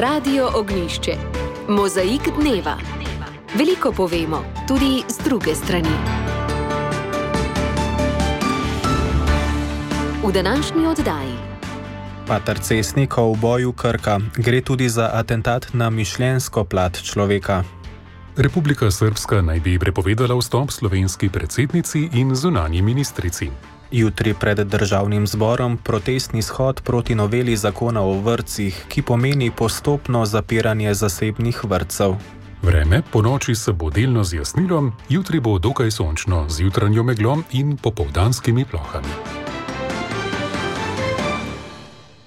Radio Ognjišče. Mozaik dneva. Veliko povemo, tudi z druge strani. V današnji oddaji. Pater Cesnik o uboju Krka. Gre tudi za atentat na mišljenjsko plat človeka. Republika Srpska naj bi prepovedala vstop slovenski predsednici in zunanji ministrici. Jutri pred državnim zborom protestni shod proti noveli zakona o vrtcih, ki pomeni postopno zapiranje zasebnih vrtcev. Vreme ponoči se bo delno zjasnilo, jutri bo dokaj sončno z jutranjo meglo in popoldanskimi plohami.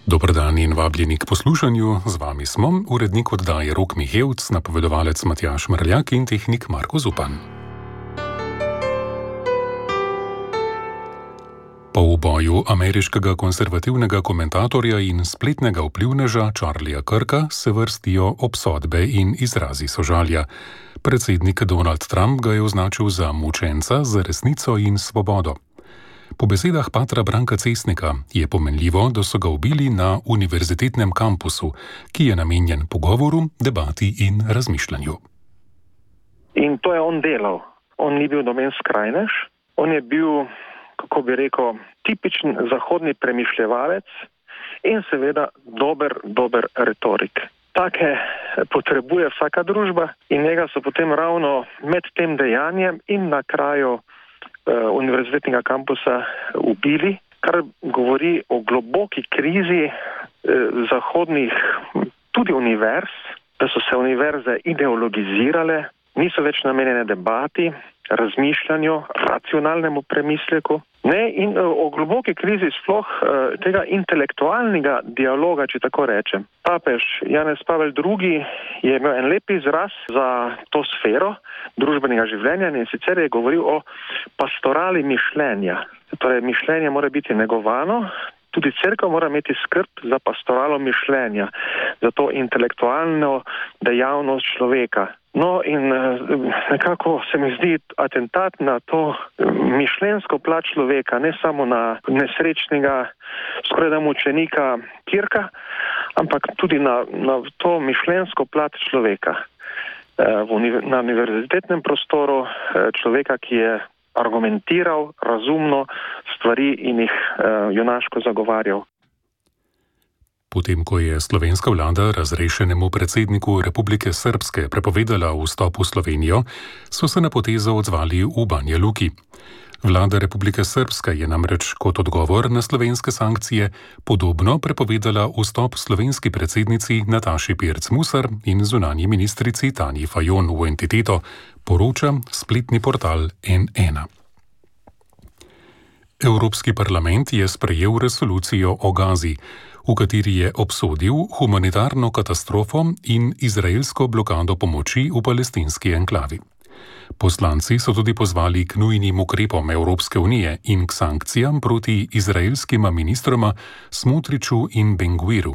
Dober dan in vabljeni k poslušanju, z vami smo, urednik oddaje Rok Mihevc, napovedovalec Matjaž Mrljak in tehnik Marko Zupan. Po uboju ameriškega konservativnega komentatorja in spletnega vplivneža Charlieja Kirka se vrstijo obsodbe in izrazi sožalja. Predsednik Donald Trump ga je označil za mučenca za resnico in svobodo. Po besedah patra Branka Cesnika je pomenljivo, da so ga ubili na univerzitetnem kampusu, ki je namenjen pogovoru, debati in razmišljanju. In to je on delal. On ni bil noben skrajnež, on je bil, kako bi rekel, tipičen zahodni premišljevalec in seveda dober retorik. Take potrebuje vsaka družba in njega so potem ravno med tem dejanjem in na kraju univerzitetnega kampusa ubili, kar govori o globoki krizi zahodnih tudi univerz, da so se univerze ideologizirale, niso več namenjene debati, razmišljanju, racionalnemu premisleku. In o globoki krizi sploh tega intelektualnega dialoga, če tako rečem. Papež Janez Pavel II. Je imel en lep izraz za to sfero družbenega življenja in sicer je govoril o pastorali mišljenja. Torej, mišljenje mora biti negovano, tudi cerkev mora imeti skrb za pastoralo mišljenja, za to intelektualno dejavnost človeka. In nekako se mi zdi atentat na to mišljenjsko plat človeka, ne samo na nesrečnega, skorajda mučenika Kirka, ampak tudi na to mišljenjsko plat človeka. Na univerzitetnem prostoru človeka, ki je argumentiral razumno stvari in jih junaško zagovarjal. Potem, ko je slovenska vlada razrešenemu predsedniku Republike Srpske prepovedala vstop v Slovenijo, so se na potezo odzvali v Banja Luki. Vlada Republike Srpske je namreč kot odgovor na slovenske sankcije podobno prepovedala vstop slovenski predsednici Nataši Pirc Musar in zunanji ministrici Tanji Fajon v entiteto, poroča spletni portal N1. Evropski parlament je sprejel resolucijo o Gazi, v kateri je obsodil humanitarno katastrofo in izraelsko blokado pomoči v palestinski enklavi. Poslanci so tudi pozvali k nujnim ukrepom Evropske unije in k sankcijam proti izraelskima ministroma Smotriču in Ben-Gviru.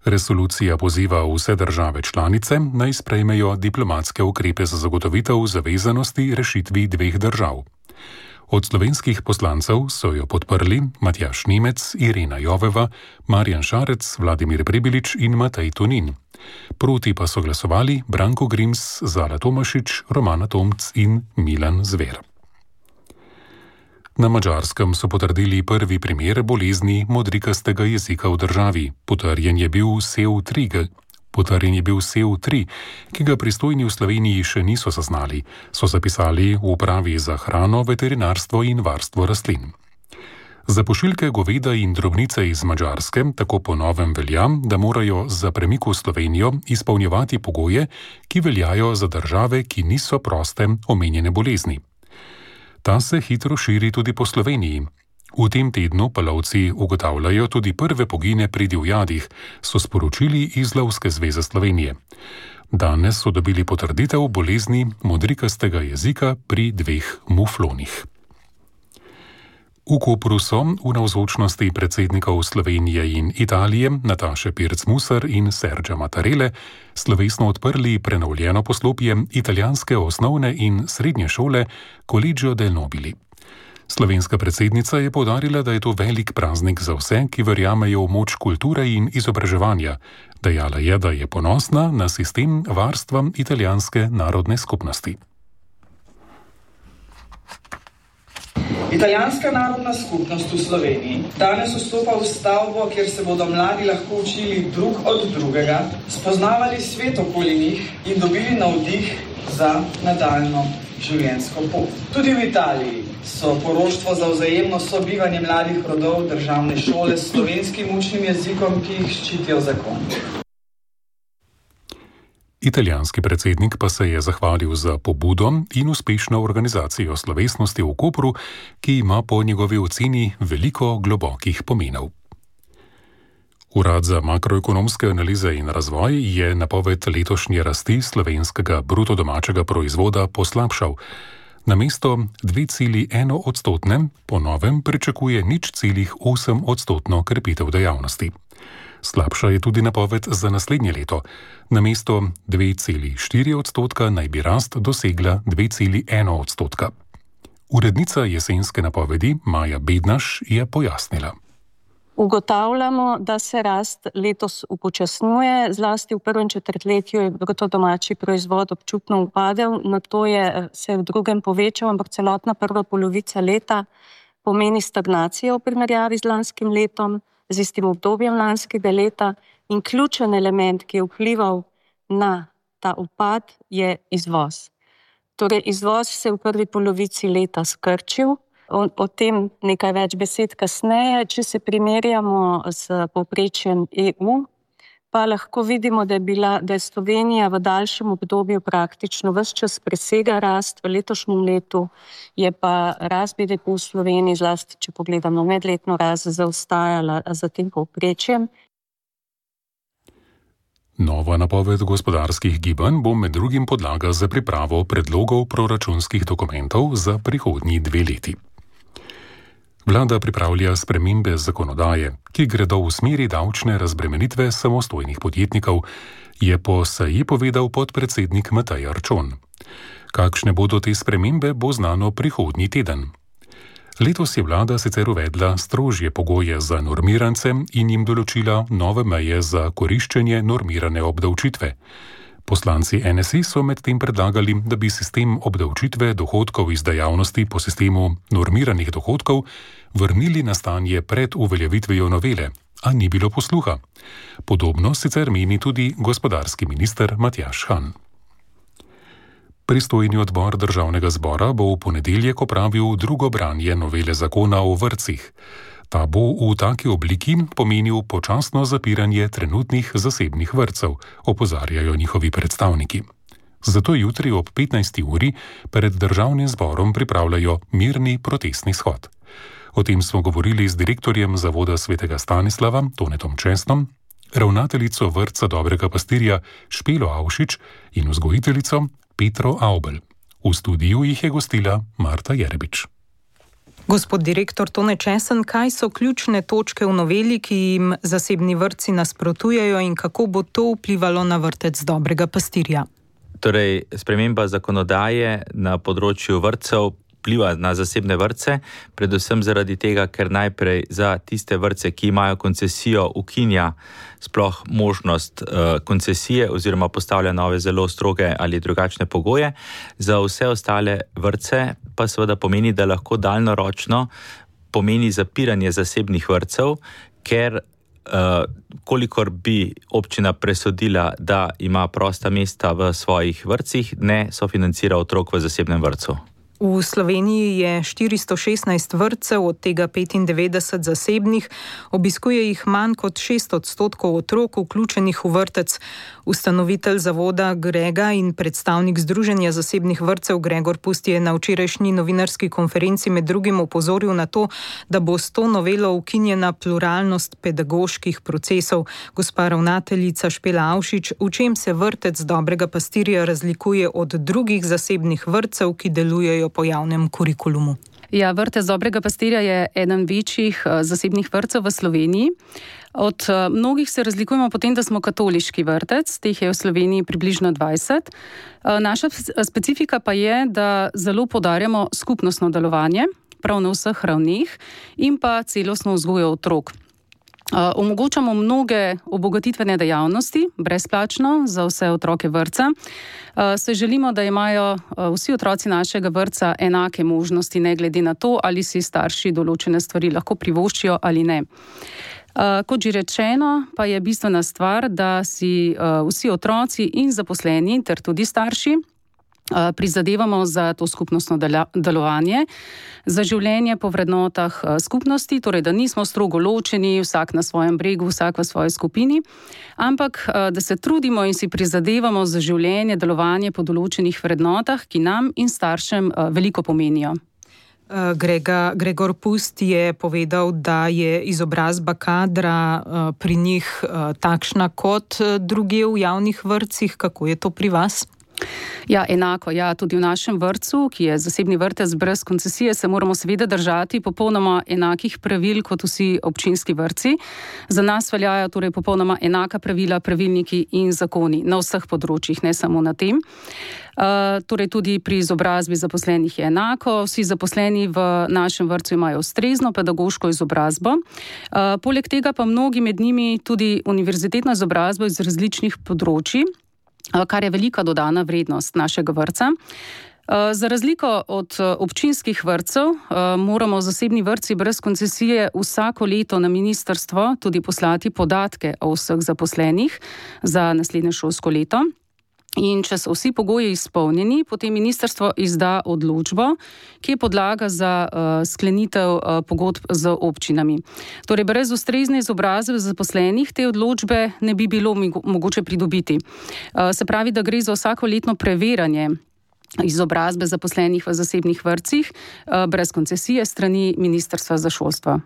Resolucija poziva vse države članice, naj sprejmejo diplomatske ukrepe za zagotovitev zavezanosti rešitvi dveh držav. Od slovenskih poslancev so jo podprli Matjaž Nemec, Irena Joveva, Marjan Šarec, Vladimir Prebilič in Matej Tonin. Proti pa so glasovali Branko Grims, Zala Tomašič, Romana Tomc in Milan Zver. Na Madžarskem so potrdili prvi primer bolezni modrikastega jezika v državi. Potrjen je bil SEV3, ki ga pristojni v Sloveniji še niso zaznali, so zapisali v upravi za hrano, veterinarstvo in varstvo rastlin. Za pošiljke goveda in drobnice iz Madžarske tako po novem velja, da morajo za premik v Slovenijo izpolnjevati pogoje, ki veljajo za države, ki niso proste omenjene bolezni. Ta se hitro širi tudi po Sloveniji. V tem tednu pa lovci ugotavljajo tudi prve pogine pri divjadih, so sporočili iz Lovske zveze Slovenije. Danes so dobili potrditev bolezni modrikastega jezika pri 2 muflonih. V Kopru so v navzočnosti predsednikov Slovenije in Italije Nataše Pirc Musar in Sergia Mattarelle slovesno odprli prenovljeno poslopje italijanske osnovne in srednje šole Collegio del Nobili. Slovenska predsednica je poudarila, da je to velik praznik za vse, ki verjamejo v moč kulture in izobraževanja. Dejala je, da je ponosna na sistem varstva italijanske narodne skupnosti. Italijanska narodna skupnost v Sloveniji danes vstopa v stavbo, kjer se bodo mladi lahko učili drug od drugega, spoznavali svet okoli njih in dobili navdih za nadaljno življenjsko pot. Tudi v Italiji so poroštvo za vzajemno sobivanje mladih rodov državne šole s slovenskim učnim jezikom, ki jih ščitijo zakoni. Italijanski predsednik pa se je zahvalil za pobudo in uspešno organizacijo slovesnosti v Kopru, ki ima po njegovi oceni veliko globokih pomenov. Urad za makroekonomske analize in razvoj je napoved letošnje rasti slovenskega bruto domačega proizvoda poslabšal. Namesto 2,1% po novem pričakuje 0,8% krepitev dejavnosti. Slabša je tudi napoved za naslednje leto. Namesto 2,4% naj bi rast dosegla 2,1%. Urednica jesenske napovedi Maja Bednaš je pojasnila. Ugotavljamo, da se rast letos upočasnjuje, zlasti v prvem četrtletju je bruto domači proizvod občutno upadel, nato se je v drugem povečal, ampak celotna prva polovica leta pomeni stagnacijo v primerjavi z lanskim letom, z istim obdobjem lanskega leta in ključen element, ki je vplival na ta upad, je izvoz. Torej, izvoz se je v prvi polovici leta skrčil, o tem nekaj več besed kasneje. Če se primerjamo s povprečjem EU, pa lahko vidimo, da je Slovenija v daljšem obdobju praktično ves čas presega rast, v letošnjem letu je pa rast BDP v Sloveniji, zlasti če pogledamo medletno rast, zaostajala za tem povprečjem. Nova napoved gospodarskih gibanj bo med drugim podlaga za pripravo predlogov proračunskih dokumentov za prihodnji 2 leti. Vlada pripravlja spremembe zakonodaje, ki gredo v smeri davčne razbremenitve samostojnih podjetnikov, je po seji povedal podpredsednik Matej Arčon. Kakšne bodo te spremembe, bo znano prihodnji teden. Letos je vlada sicer uvedla strožje pogoje za normirance in jim določila nove meje za koriščenje normirane obdavčitve. Poslanci NSI so medtem predlagali, da bi sistem obdavčitve dohodkov iz dejavnosti po sistemu normiranih dohodkov vrnili na stanje pred uveljavitvijo novele, a ni bilo posluha. Podobno sicer meni tudi gospodarski minister Matjaž Han. Pristojni odbor Državnega zbora bo v ponedeljek opravil drugo branje novele zakona o vrtcih. Ta bo v taki obliki pomenil počasno zapiranje trenutnih zasebnih vrtcev, opozarjajo njihovi predstavniki. Zato jutri ob 15. uri pred Državnim zborom pripravljajo mirni protestni shod. O tem smo govorili z direktorjem Zavoda Svetega Stanislava, Tonetom Česnom, ravnateljico vrtca Dobrega pastirja Špelo Avšič in vzgojiteljico Petro Avbel. V studiu jih je gostila Marta Jerebič. Gospod direktor Tone Česen, kaj so ključne točke v noveli, ki jim zasebni vrtci nasprotujejo in kako bo to vplivalo na vrtec Dobrega pastirja? Torej, sprememba zakonodaje na področju vrtcev vpliva na zasebne vrtce, predvsem zaradi tega, ker najprej za tiste vrtce, ki imajo koncesijo, ukinja sploh možnost koncesije oziroma postavlja nove zelo stroge ali drugačne pogoje. Za vse ostale vrtce pa seveda pomeni, da lahko daljnoročno pomeni zapiranje zasebnih vrtcev, ker kolikor bi občina presodila, da ima prosta mesta v svojih vrtcih, ne sofinancira otrok v zasebnem vrtcu. V Sloveniji je 416 vrtcev, od tega 95 zasebnih, obiskuje jih manj kot 6% otrok, vključenih v vrtec. Ustanovitelj zavoda Grega in predstavnik Združenja zasebnih vrtcev Gregor Pusti je na včerajšnji novinarski konferenci med drugim opozoril na to, da bo s to novelo ukinjena pluralnost pedagoških procesov. Gospa ravnateljica Špela Avšič, v čem se vrtec Dobrega pastirja razlikuje od drugih zasebnih vrtcev, ki delujejo po javnem kurikulumu? Ja, vrtec Dobrega pastirja je eden večjih zasebnih vrtcev v Sloveniji. Od mnogih se razlikujemo potem, da smo katoliški vrtec, teh je v Sloveniji približno 20. Naša specifika pa je, da zelo poudarjamo skupnostno delovanje. prav na vseh ravneh in pa celostno vzgojo otrok. Omogočamo mnoge obogatitvene dejavnosti, brezplačno za vse otroke vrtca. Se želimo, da imajo vsi otroci našega vrtca enake možnosti, ne glede na to, ali si starši določene stvari lahko privoščijo ali ne. Kot že rečeno, pa je bistvena stvar, da si vsi otroci in zaposleni ter tudi starši prizadevamo za to skupnostno delovanje, za življenje po vrednotah skupnosti, torej da nismo strogo ločeni, vsak na svojem bregu, vsak v svoji skupini, ampak da se trudimo in si prizadevamo za življenje, delovanje po določenih vrednotah, ki nam in staršem veliko pomenijo. Gregor Pust je povedal, da je izobrazba kadra pri njih takšna kot drugje v javnih vrtcih. Kako je to pri vas? Ja, enako. Ja, tudi v našem vrtcu, ki je zasebni vrtec brez koncesije, se moramo seveda držati popolnoma enakih pravil kot vsi občinski vrtci. Za nas veljajo torej popolnoma enaka pravila, pravilniki in zakoni na vseh področjih, ne samo na tem. Torej tudi pri izobrazbi zaposlenih je enako. Vsi zaposleni v našem vrtcu imajo ustrezno pedagoško izobrazbo. Poleg tega pa mnogi med njimi tudi univerzitetno izobrazbo iz različnih področij, kar je velika dodana vrednost našega vrtca. Za razliko od občinskih vrtcev moramo zasebni vrtci brez koncesije vsako leto na ministrstvo tudi poslati podatke o vseh zaposlenih za naslednje šolsko leto. In če so vsi pogoji izpolnjeni, potem ministrstvo izda odločbo, ki je podlaga za sklenitev pogodb z občinami. Torej, brez ustrezne izobrazbe zaposlenih te odločbe ne bi bilo mogoče pridobiti. Se pravi, da gre za vsakoletno preverjanje izobrazbe zaposlenih v zasebnih vrtcih brez koncesije strani Ministrstva za šolstvo.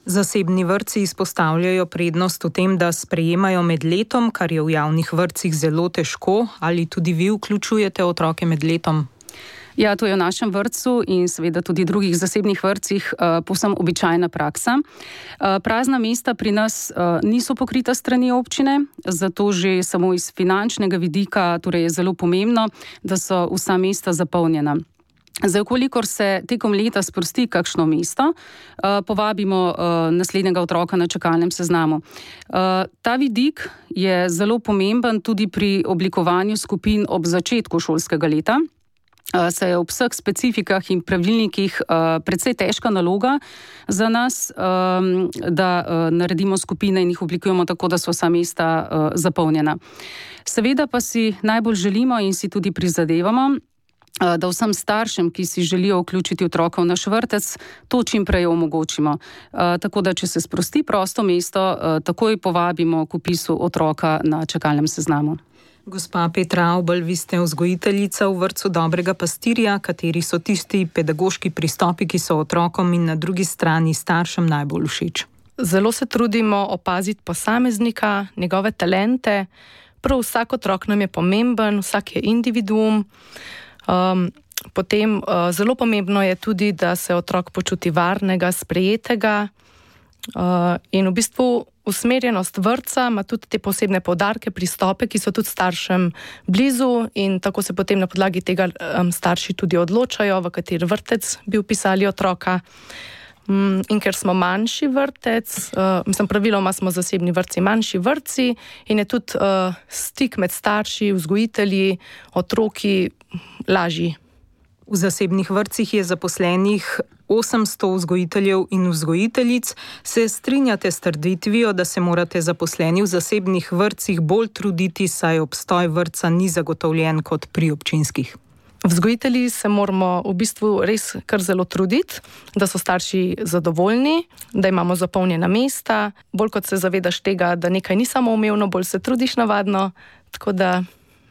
Zasebni vrtci izpostavljajo prednost v tem, da sprejemajo med letom, kar je v javnih vrtcih zelo težko. Ali tudi vi vključujete otroke med letom? Ja, to je v našem vrtcu in seveda tudi drugih zasebnih vrtcih povsem običajna praksa. Prazna mesta pri nas niso pokrita strani občine, zato že samo iz finančnega vidika torej je zelo pomembno, da so vsa mesta zapolnjena. Zdaj, kolikor se tekom leta sprosti kakšno mesto, povabimo naslednjega otroka na čakalnem seznamu. Ta vidik je zelo pomemben tudi pri oblikovanju skupin ob začetku šolskega leta. Se je ob vseh specifikah in pravilnikih precej težka naloga za nas, da naredimo skupine in jih oblikujemo tako, da so vsa mesta zapolnjena. Seveda pa si najbolj želimo in si tudi prizadevamo, da vsem staršem, ki si želijo vključiti otroka v naš vrtec, to čim prej omogočimo. Tako da, če se sprosti prosto mesto, takoj povabimo k vpisu otroka na čakalnem seznamu. Gospa Petra Avbelj, vi ste vzgojiteljica v vrtcu Dobrega pastirja. Kateri so tisti pedagoški pristopi, ki so otrokom in na drugi strani staršem najbolj všeč? Zelo se trudimo opaziti posameznika, njegove talente. Prav vsak otrok nam je pomemben, vsak je individuum. Potem zelo pomembno je tudi, da se otrok počuti varnega, sprejetega in v bistvu usmerjenost vrtca ima tudi te posebne poudarke, pristope, ki so tudi staršem blizu in tako se potem na podlagi tega starši tudi odločajo, v kateri vrtec bi vpisali otroka. In ker smo manjši vrtec, praviloma smo zasebni vrtci manjši vrtci in je tudi stik med starši, vzgojitelji, otroki lažji. V zasebnih vrtcih je zaposlenih 800 vzgojiteljev in vzgojiteljic. Se strinjate s trditvijo, da se morate zaposleni v zasebnih vrtcih bolj truditi, saj obstoj vrtca ni zagotovljen kot pri občinskih? Vzgojitelji se moramo v bistvu res kar zelo truditi, da so starši zadovoljni, da imamo zapolnjena mesta. Bolj kot se zavedaš tega, da nekaj ni samoumevno, bolj se trudiš navadno. Tako da,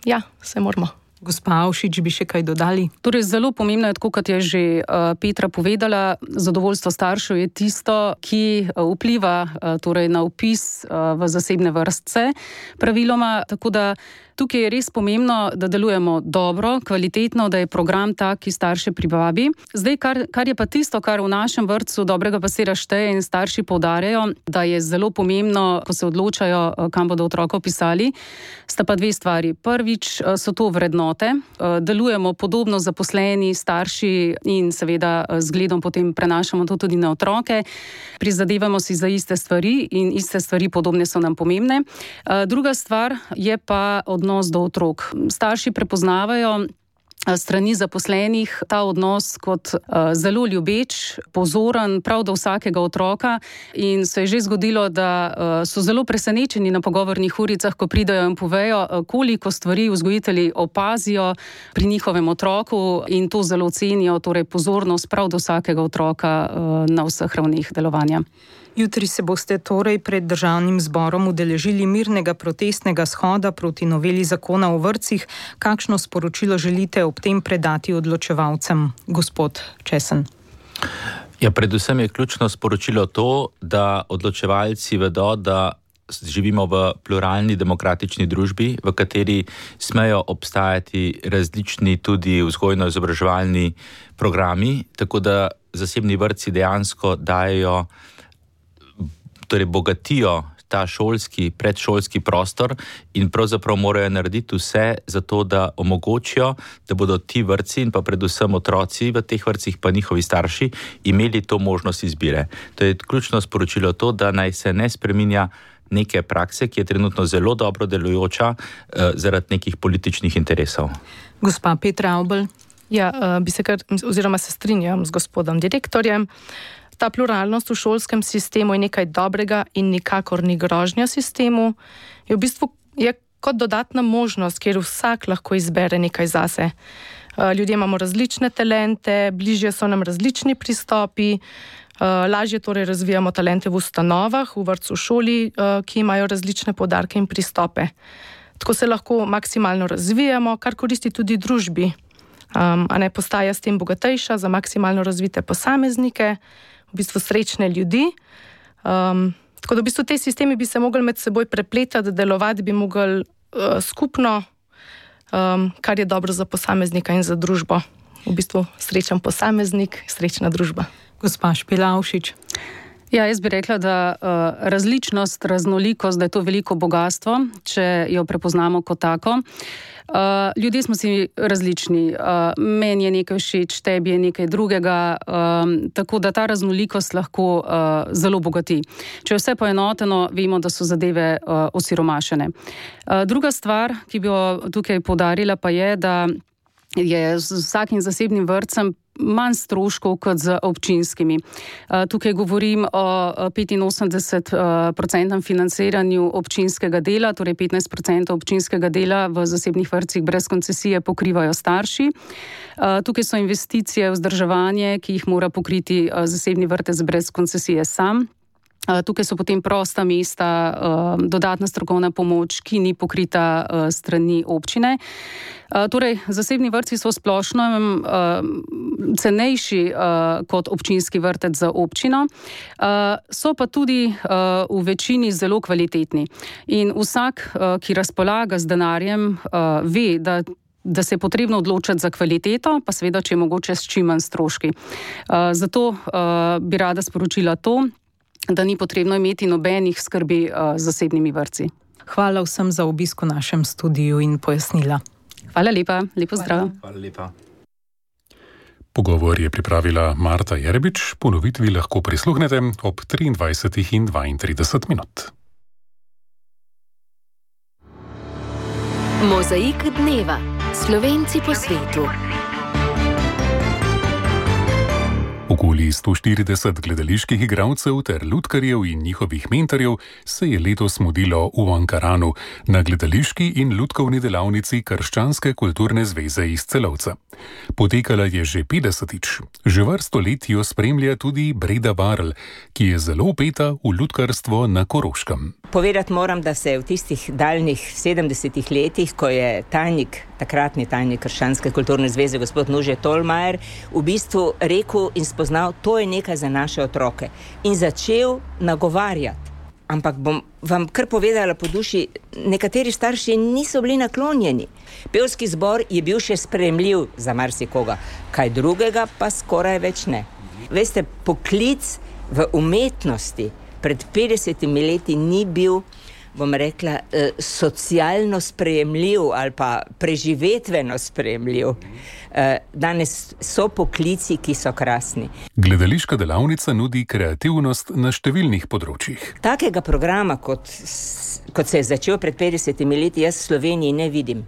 ja, se moramo. Gospa Avšič, bi še kaj dodali? Torej, zelo pomembno je, tako kot je že Petra povedala, zadovoljstvo staršev je tisto, ki vpliva torej na vpis v zasebne vrtce praviloma, tako da tukaj je res pomembno, da delujemo dobro, kvalitetno, da je program tak, ki starše privabi. Zdaj, kar je pa tisto, kar v našem vrtcu Dobrega pastirja šteje in starši poudarjajo, da je zelo pomembno, ko se odločajo, kam bodo otroka vpisali, sta pa dve stvari. Prvič so to vrednote, vrednote. Delujemo podobno zaposleni, starši in seveda z gledom potem prenašamo to tudi na otroke. Prizadevamo si za iste stvari in iste stvari podobne so nam pomembne. Druga stvar je pa odnos do otrok. Starši prepoznavajo strani zaposlenih ta odnos kot zelo ljubeč, pozoren prav do vsakega otroka in se je že zgodilo, da so zelo presenečeni na pogovornih uricah, ko pridejo in povejo, koliko stvari vzgojitelji opazijo pri njihovem otroku in to zelo cenijo, torej pozornost prav do vsakega otroka na vseh ravneh delovanja. Jutri se boste torej pred Državnim zborom udeležili mirnega protestnega shoda proti noveli zakona o vrtcih. Kakšno sporočilo želite ob tem predati odločevalcem, gospod Česen? Ja, predvsem je ključno sporočilo to, da odločevalci vedo, da živimo v pluralni demokratični družbi, v kateri smejo obstajati različni tudi vzgojno-izobraževalni programi, tako da zasebni vrtci dejansko dajejo, torej bogatijo ta šolski, predšolski prostor in pravzaprav morajo narediti vse za to, da omogočijo, da bodo ti vrtci in pa predvsem otroci v teh vrtcih pa njihovi starši imeli to možnost izbire. To je ključno sporočilo to, da naj se ne spreminja neke prakse, ki je trenutno zelo dobro delujoča zaradi nekih političnih interesov. Gospa Petra Avbelj. Ja, se strinjam z gospodom direktorjem. Ta pluralnost v šolskem sistemu je nekaj dobrega in nikakor ni grožnja sistemu. Je v bistvu kot dodatna možnost, kjer vsak lahko izbere nekaj zase. Ljudje imamo različne talente, bližje so nam različni pristopi, lažje torej razvijamo talente v ustanovah, v vrtcu, v šoli, ki imajo različne poudarke in pristope. Tako se lahko maksimalno razvijamo, kar koristi tudi družbi. A ne postaja s tem bogatejša za maksimalno razvite posameznike, v bistvu srečne ljudi. Tako da v bistvu te sistemi bi se mogli med seboj prepletati, delovati bi mogli skupno, kar je dobro za posameznika in za družbo. V bistvu srečen posameznik, srečna družba. Gospa Špilavšič. Ja, jaz bi rekla, da različnost, raznolikost, da je to veliko bogatstvo, če jo prepoznamo kot tako. Ljudje smo si različni, meni je nekaj všeč, tebi je nekaj drugega, tako da ta raznolikost lahko zelo bogati. Če je vse poenoteno, vemo, da so zadeve osiromašene. Druga stvar, ki bi jo tukaj poudarila, pa je, da je z vsakim zasebnim vrtcem manj stroškov kot z občinskimi. Tukaj govorim o 85% financiranju občinskega dela, torej 15% občinskega dela v zasebnih vrtcih brez koncesije pokrivajo starši. Tukaj so investicije, vzdrževanje, ki jih mora pokriti zasebni vrtec brez koncesije sam. Tukaj so potem prosta mesta, dodatna strokovna pomoč, ki ni pokrita strani občine. Torej, zasebni vrtci so splošno cenejši kot občinski vrtec za občino, so pa tudi v večini zelo kvalitetni. In vsak, ki razpolaga z denarjem, ve, da se je potrebno odločiti za kvaliteto, pa seveda, če je mogoče s čim manj stroški. Zato bi rada sporočila to, da ni potrebno imeti nobenih skrbi z zasebnimi vrtci. Hvala vsem za obisk v našem studiu in pojasnila. Hvala lepa, lepo zdrav. Hvala lepa. Pogovor je pripravila Marta Jerbič, ponovitvi lahko prisluhnete ob 23:32 minut. Mozaik dneva. Slovenci po svetu. Okoli 140 gledaliških igralcev ter lutkarjev in njihovih mentorjev se je letos mudilo v Ankaranu na gledališki in lutkovni delavnici Krščanske kulturne zveze iz Celovca. Potekala je že 50-tič. Že vrsto let jo spremlja tudi Breda Varl, ki je zelo vpeta v lutkarstvo na Koroškem. Povedati moram, da se je v tistih daljnih 70 letih, ko je takratni tajnik Krščanske kulturne zveze, gospod Nuže Tolmajer, v bistvu rekel in spoznal, to je nekaj za naše otroke. In začel nagovarjati. Ampak bom vam kar povedala po duši, nekateri starši niso bili naklonjeni. Pevski zbor je bil še sprejemljiv za marsikoga, kaj drugega pa skoraj več ne. Veste, poklic v umetnosti pred 50 leti ni bil bom rekla, socialno sprejemljiv ali pa preživetveno sprejemljiv. Danes so poklici, ki so krasni. Gledališka delavnica nudi kreativnost na številnih področjih. Takega programa, kot se je začel pred 50 leti, jaz v Sloveniji ne vidim.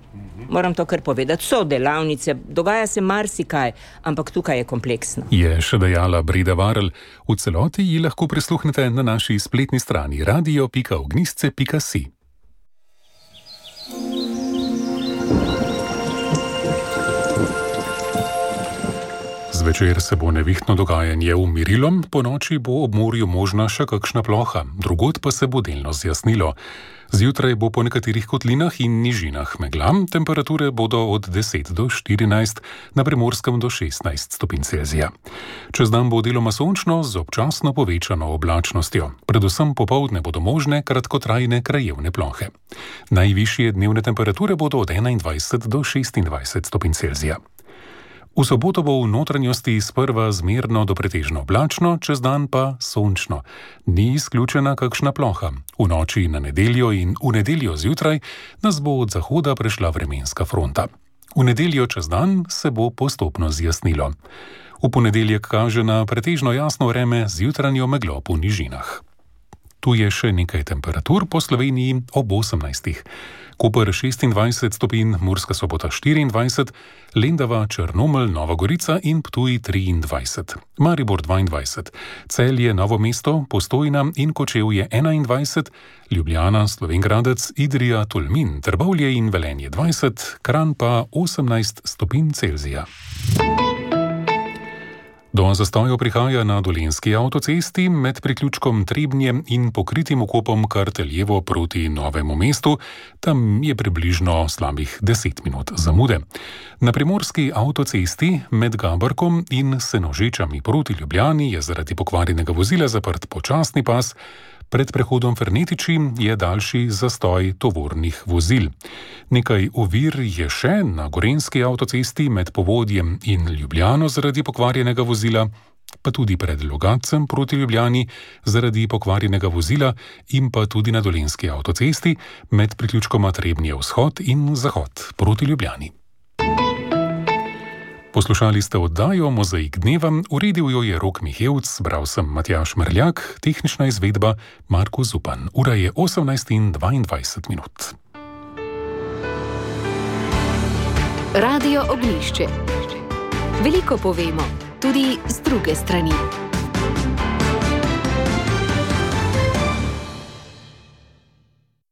Moram to kar povedati. So delavnice, dogaja se marsikaj, ampak tukaj je kompleksno. Je še dejala Breda Varl. V celoti ji lahko prisluhnete na naši spletni strani radio.ognisce.si. Zvečer se bo nevihtno dogajanje umirilo, ponoči bo ob morju možna še kakšna ploha, drugod pa se bo delno zjasnilo. Zjutraj bo po nekaterih kotlinah in nižinah megla, temperature bodo od 10 do 14, na Primorskem do 16 stopinj Celzija. Čez dan bo deloma sončno z občasno povečano oblačnostjo. Predvsem popoldne bodo možne kratkotrajne krajevne plohe. Najvišje dnevne temperature bodo od 21 do 26 stopinj Celzija. V soboto bo v notranjosti sprva zmerno do pretežno oblačno, čez dan pa sončno. Ni izključena kakšna ploha. V noči na nedeljo in v nedeljo zjutraj nas bo od zahoda prešla vremenska fronta. V nedeljo čez dan se bo postopno zjasnilo. V ponedeljek kaže na pretežno jasno vreme z jutranjo meglo po nižinah. Tu je še nekaj temperatur po Sloveniji ob 18. Koper 26 stopinj, Murska Sobota 24, Lendava, Črnomelj, Nova Gorica in Ptuj 23, Maribor 22, Celje, Novo mesto, Postojna in Kočevje 21, Ljubljana, Slovenj Gradec, Idrija, Tolmin, Trbovlje in Velenje 20, Kranj pa 18 stopinj Celzija. Do zastojev prihaja na Dolenjski avtocesti med priključkom Trebnje in pokritim vkopom Karteljevo proti Novemu mestu. Tam je približno slabih 10 minut zamude. Na Primorski avtocesti med Gaberkom in Senožečami proti Ljubljani je zaradi pokvarjenega vozila zaprt počasni pas. Pred prehodom Fernetiči je daljši zastoj tovornih vozil. Nekaj ovir je še na Gorenjski avtocesti med Povodjem in Ljubljano zaradi pokvarjenega vozila, pa tudi pred Logatcem proti Ljubljani zaradi pokvarjenega vozila in pa tudi na Dolenjski avtocesti med priključkoma Trebnje vzhod in zahod proti Ljubljani. Poslušali ste oddajo Mozaik dneva, uredil jo je Rok Mihevc, bral sem Matjaž Mrljak, tehnična izvedba Marko Zupan. Ura je 18:22. Radio Ognjišče. Veliko povemo, tudi z druge strani.